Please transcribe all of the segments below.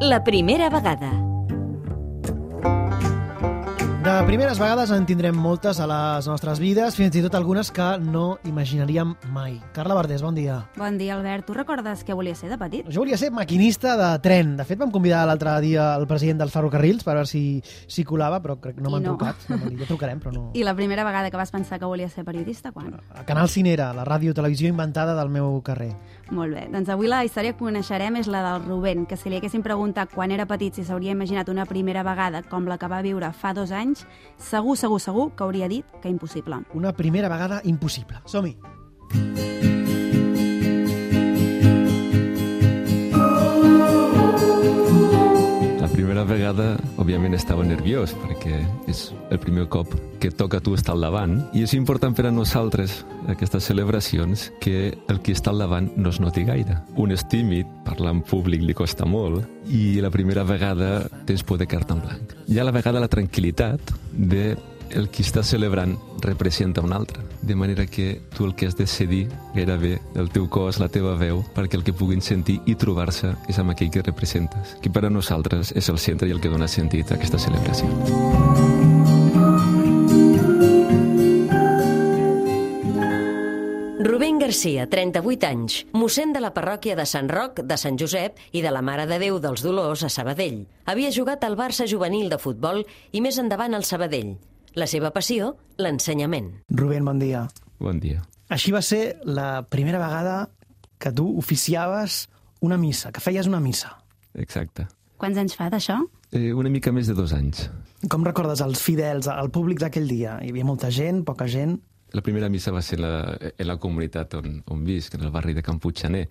La primera vegada. De primeres vegades en tindrem moltes a les nostres vides, fins i tot algunes que no imaginaríem mai. Carla Verdés, bon dia. Bon dia, Albert. Tu recordes què volia ser de petit? Jo volia ser maquinista de tren. De fet, vam convidar l'altre dia el president dels ferrocarrils per veure si colava, però crec que no m'han trucat. No m'han dit, ja trucarem, però no. I la primera vegada que vas pensar que volia ser periodista, quan? A Canal Cinera, la ràdio-televisió inventada del meu carrer. Molt bé. Doncs avui la història que coneixerem és la del Rubén, que si li haguéssim preguntat quan era petit si s'hauria imaginat una primera vegada com la que va viure fa 2 anys, segur que hauria dit que impossible. Una primera vegada impossible. Som-hi! La primera vegada, òbviament, estava nerviós, perquè és el primer cop que toca tu estar al davant, i és important per a nosaltres, aquestes celebracions, que el que està al davant no es noti gaire. Un és tímid, parlar en públic li costa molt, i la primera vegada tens por de quedar-te en blanc. Hi ha la vegada la tranquil·litat de el qui està celebrant representa un altre, de manera que tu el que has de cedir gairebé el teu cos, la teva veu, perquè el que puguin sentir i trobar-se és amb aquell que representes, que per a nosaltres és el centre i el que dona sentit a aquesta celebració. Rubén Garcia, 38 anys, mossèn de la parròquia de Sant Roc, de Sant Josep i de la Mare de Déu dels Dolors a Sabadell. Havia jugat al Barça juvenil de futbol i més endavant al Sabadell. La seva passió, l'ensenyament. Rubén, bon dia. Bon dia. Així va ser la primera vegada que tu oficiaves una missa, que feies una missa. Exacte. Quants anys fa d'això? Una mica més de 2 anys. Com recordes els fidels, el públic d'aquell dia? Hi havia molta gent, poca gent? La primera missa va ser en la comunitat on visc, en el barri de Can Puiggener.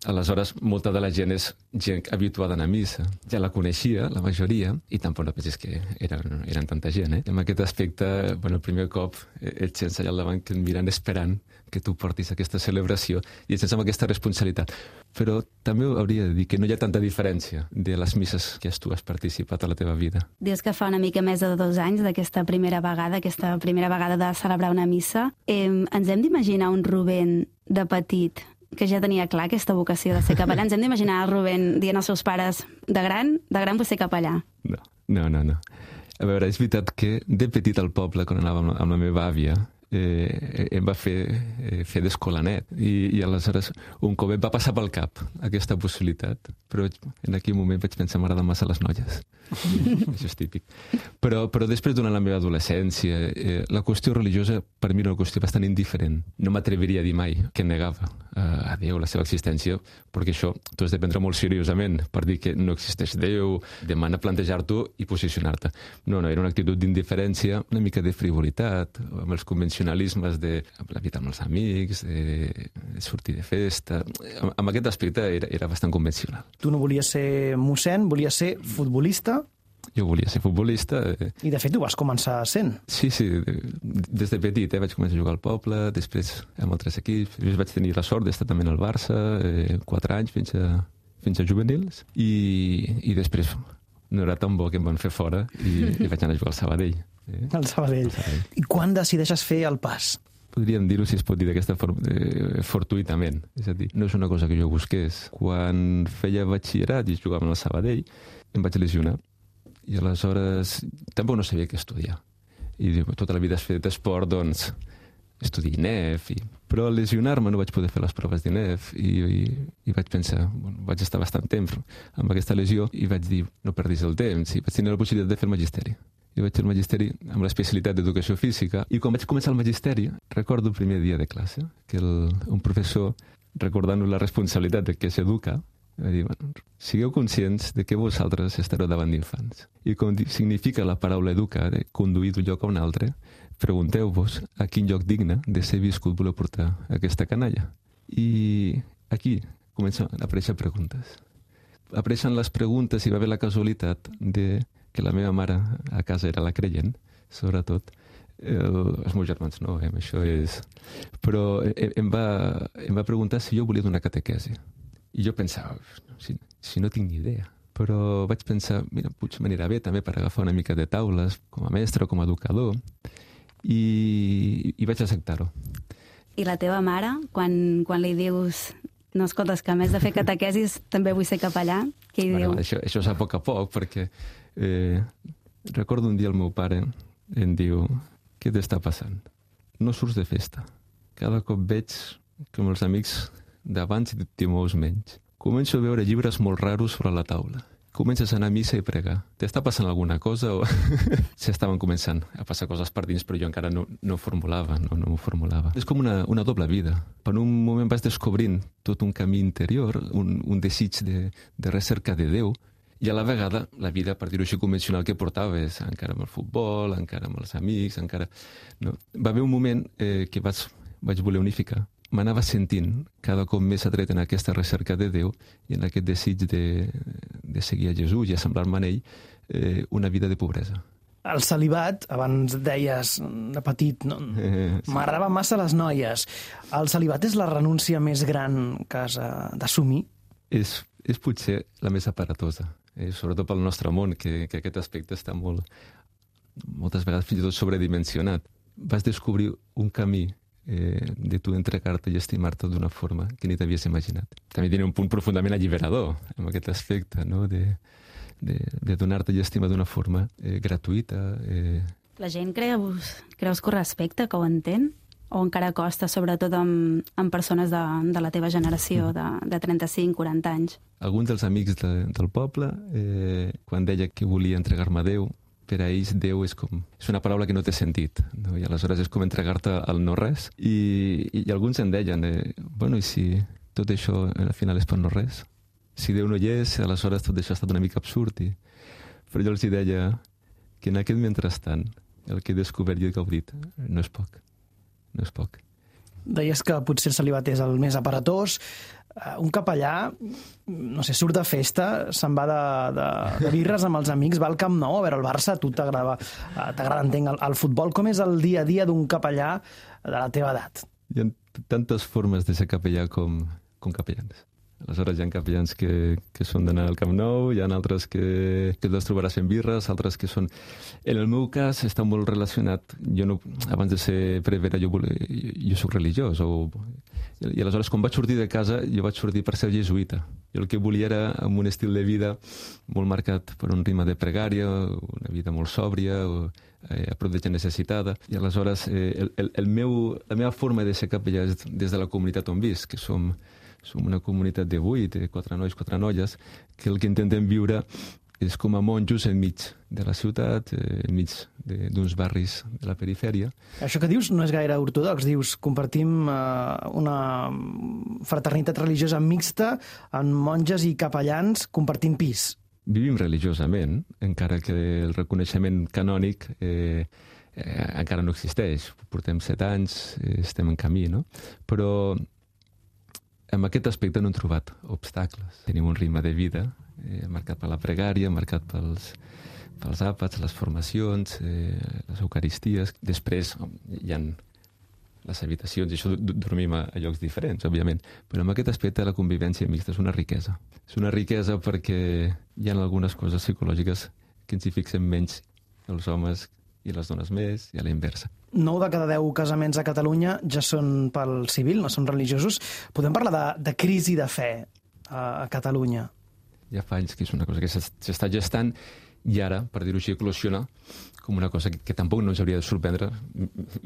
Aleshores, molta de la gent és gent habituada a anar a missa. Ja la coneixia, la majoria, i tampoc no pensis que eren tanta gent. I en aquest aspecte, el primer cop ets sense allà al davant que et miren esperant que tu portis aquesta celebració i ets sense amb aquesta responsabilitat. Però també hauria de dir que no hi ha tanta diferència de les misses que tu has participat a la teva vida. Dius que fa una mica més de 2 anys d'aquesta primera vegada de celebrar una missa. Ens hem d'imaginar un Rubén de petit que ja tenia clar aquesta vocació de ser capellà. Ens hem d'imaginar el Rubén dient als seus pares de gran vull ser capellà. No. A veure, és veritat que de petit al poble, quan anava amb la meva àvia, em va fer d'escolanet i aleshores un cop em va passar pel cap aquesta possibilitat, però en aquell moment vaig pensar m'agraden massa les noies. Això és típic. Però després, durant la meva adolescència, la qüestió religiosa per mi era una qüestió bastant indiferent. No m'atreviria a dir mai que negava a Déu la seva existència, perquè això t'ho has de prendre molt seriosament per dir que no existeix Déu, demana plantejar-t'ho i posicionar-te. No, era una actitud d'indiferència, una mica de frivolitat, amb els convencionalismes de la vida amb els amics, de sortir de festa. Amb aquest aspecte era bastant convencional. Tu no volies ser mossèn, volies ser futbolista? Jo volia ser futbolista. I de fet ho vas començar sent. Sí, des de petit vaig començar a jugar al poble, després amb altres equips. Després vaig tenir la sort d'estar també al Barça, 4 anys fins a juvenils, i després no era tan bo que em van fer fora i vaig anar a jugar al Sabadell. Al Sabadell. I quan decideixes fer el pas? Podríem dir-ho, si es pot dir d'aquesta fortuïtament. És a dir, no és una cosa que jo busqués. Quan feia batxillerat i jugava al Sabadell, em vaig lesionar. I aleshores tampoc no sabia què estudiar. I tota la vida has fet esport, doncs estudiï INEF. Però al lesionar-me no vaig poder fer les proves d'INEF i vaig pensar, vaig estar bastant temps amb aquesta lesió i vaig dir, no perdis el temps. I vaig tenir la possibilitat de fer el magisteri. I vaig fer el magisteri amb l'especialitat d'educació física. I quan vaig començar el magisteri, recordo el primer dia de classe, que un professor, recordant-nos la responsabilitat de què s'educa, va dir, sigueu conscients de que vosaltres estareu davant d'infants. I com significa la paraula educar, de conduir d'un lloc a un altre, pregunteu-vos a quin lloc digne de ser viscut voleu portar aquesta canalla. I aquí comencen a aparèixer preguntes. Apareixen les preguntes i va haver la casualitat de que la meva mare a casa era la creient, sobretot. Els meus germans no, això és... Però em va preguntar si jo volia donar catequesi. I jo pensava, si no tinc ni idea. Però vaig pensar, mira, potser m'anirà bé també per agafar una mica de taules, com a mestre o com a educador, i vaig acceptar-ho. I la teva mare, quan li dius No, escolta, és que a més de fer catequesis també vull ser capellà. Què hi diu? Això és a poc, perquè recordo un dia el meu pare em diu: què t'està passant? No surts de festa. Cada cop veig com els amics d'abans i t'hi mous menys. Començo a veure llibres molt raros sobre la taula. Comences a anar a missa i pregar. T'està passant alguna cosa? O... S'estaven començant a passar coses per dins, però jo encara no m'ho formulava. És com una doble vida. Per un moment vas descobrint tot un camí interior, un desig de recerca de Déu, i a la vegada la vida, per dir-ho així, convencional que portaves, encara amb el futbol, encara amb els amics, encara... No? Va haver un moment que vaig voler unificar. M'anava sentint cada cop més atret en aquesta recerca de Déu i en aquest desig de seguir a Jesús i assemblar-me en ell, una vida de pobresa. El celibat, abans deies de petit, no? M'agradaven massa les noies. El celibat és la renúncia més gran que has d'assumir? És potser la més aparatosa, sobretot pel nostre món, que aquest aspecte està moltes vegades fins i tot sobredimensionat. Vas descobrir un camí de tu entregar-te i estimar-te d'una forma que ni t'havies imaginat. També tenia un punt profundament alliberador en aquest aspecte, no? de donar-te i estimar d'una forma gratuïta. La gent creus que ho respecta, que ho entén? O encara costa, sobretot amb persones de la teva generació, de 35-40 anys? Alguns dels amics del poble, quan deia que volia entregar-me a Déu, per a ells Déu és una paraula que no té sentit, no? I aleshores és com entregar-te al no-res. I alguns em deien, bueno, i si tot això al final és per no-res? Si Déu no hi és, aleshores tot això ha estat una mica absurd. Però jo els deia que en aquest mentrestant el que he descobert i he gaudit no és poc. No és poc. Deies que potser el celibat és el més aparatós. Un capellà, no sé, surt de festa, se'n va de birres amb els amics, va al Camp Nou a veure el Barça, a tu t'agrada, entenc, el futbol. Com és el dia a dia d'un capellà de la teva edat? Hi ha tantes formes de ser capellà com capellans. Aleshores hi ha capellans que són d'anar al Camp Nou, hi ha altres que els trobaràs fent birres, altres que són... En el meu cas està molt relacionat. Jo no, abans de ser prevere jo soc religiós. I aleshores quan vaig sortir de casa jo vaig sortir per ser jesuïta. Jo el que volia era amb un estil de vida molt marcat per un ritme de pregària, una vida molt sòbria, a prop de gent necessitada. I aleshores la meva forma de ser capellà és des de la comunitat on visc, que som una comunitat de 8, 4 nois, 4 noies, que el que intentem viure és com a monjos enmig de la ciutat, enmig d'uns barris de la perifèria. Això que dius no és gaire ortodox. Dius, compartim una fraternitat religiosa mixta amb monges i capellans compartint pis. Vivim religiosament, encara que el reconeixement canònic encara no existeix. Portem 7 anys, estem en camí, no? Però en aquest aspecte no hem trobat obstacles. Tenim un ritme de vida marcat per la pregària, marcat pels àpats, les formacions, les eucaristies. Després hi ha les habitacions, i això dormim a llocs diferents, òbviament. Però en aquest aspecte la convivència mixta és una riquesa. És una riquesa perquè hi ha algunes coses psicològiques que ens hi fixem menys els homes i les dones més, i a la inversa. 9 de cada 10 casaments a Catalunya ja són pel civil, no són religiosos. Podem parlar de crisi de fe a Catalunya? Ja fa anys que és una cosa que s'està gestant i ara, per dir-ho així, eclosiona com una cosa que tampoc no ens hauria de sorprendre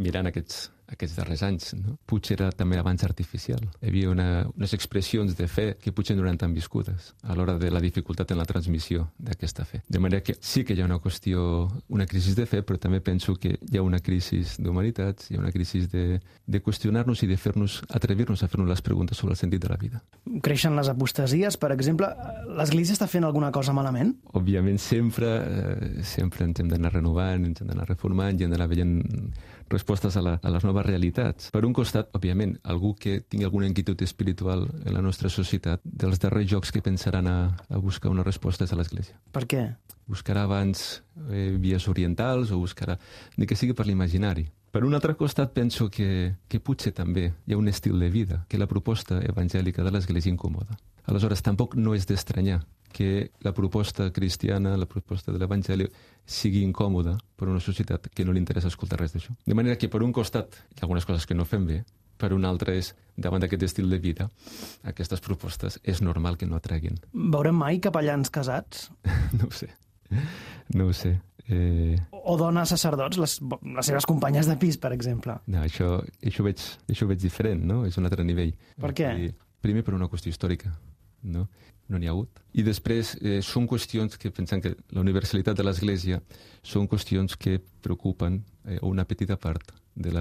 mirant aquests darrers anys, no? Potser era també abans artificial. Hi havia unes expressions de fe que potser no eren tan viscudes a l'hora de la dificultat en la transmissió d'aquesta fe. De manera que sí que hi ha una crisi de fe, però també penso que hi ha una crisi d'humanitats, hi ha una crisi de qüestionar-nos i de atrevir-nos a fer-nos les preguntes sobre el sentit de la vida. Creixen les apostasies, per exemple. L'Església està fent alguna cosa malament? Òbviament, sempre ens hem d'anar renovant, ens hem d'anar reformant i hem d'anar veient respostes a les noves realitats. Per un costat, òbviament, algú que tingui alguna inquietud espiritual en la nostra societat, dels darrers jocs que pensaran a buscar una resposta és a l'Església. Per què? Buscarà abans vies orientals o buscarà ni que sigui per l'imaginari. Per un altre costat, penso que potser també hi ha un estil de vida, que la proposta evangèlica de l'Església incomoda. Aleshores, tampoc no és d'estranyar que la proposta cristiana, la proposta de l'Evangeli, sigui incòmoda per una societat que no li interessa escoltar res d'això. De manera que, per un costat, hi ha algunes coses que no fem bé, Per un altre és, davant d'aquest estil de vida, aquestes propostes és normal que no atreguin. Veurem mai capellans casats? No ho sé. O dones sacerdots, les seves companyes de pis, per exemple? No, això ho veig diferent, no? És un altre nivell. Per què? Primer per una qüestió històrica, no? No n'hi ha hagut. I després són qüestions que pensem que la universalitat de l'Església són qüestions que preocupen una petita part de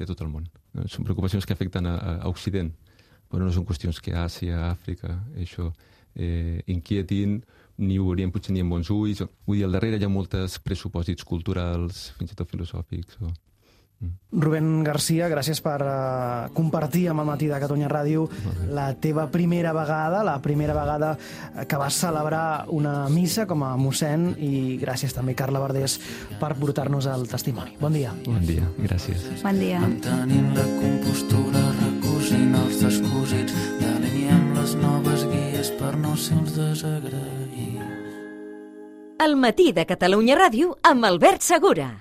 tot el món. Són preocupacions que afecten a Occident, però no són qüestions que Àsia, Àfrica, això inquietin ni ho veurien potser ni amb bons ulls. Vull dir, al darrere hi ha molts pressupòsits culturals, fins i tot filosòfics. Rubén Garcia, gràcies per compartir amb el Matí de Catalunya Ràdio la teva primera vegada que vas celebrar una missa com a mossèn, i gràcies també, Carla Verdés, per portar-nos el testimoni. Bon dia. Bon dia, gràcies. Bon dia. Mantenim la compostura, recosint els descosits, delineem les noves guies per no ser uns desagraïts. El Matí de Catalunya Ràdio amb Albert Segura.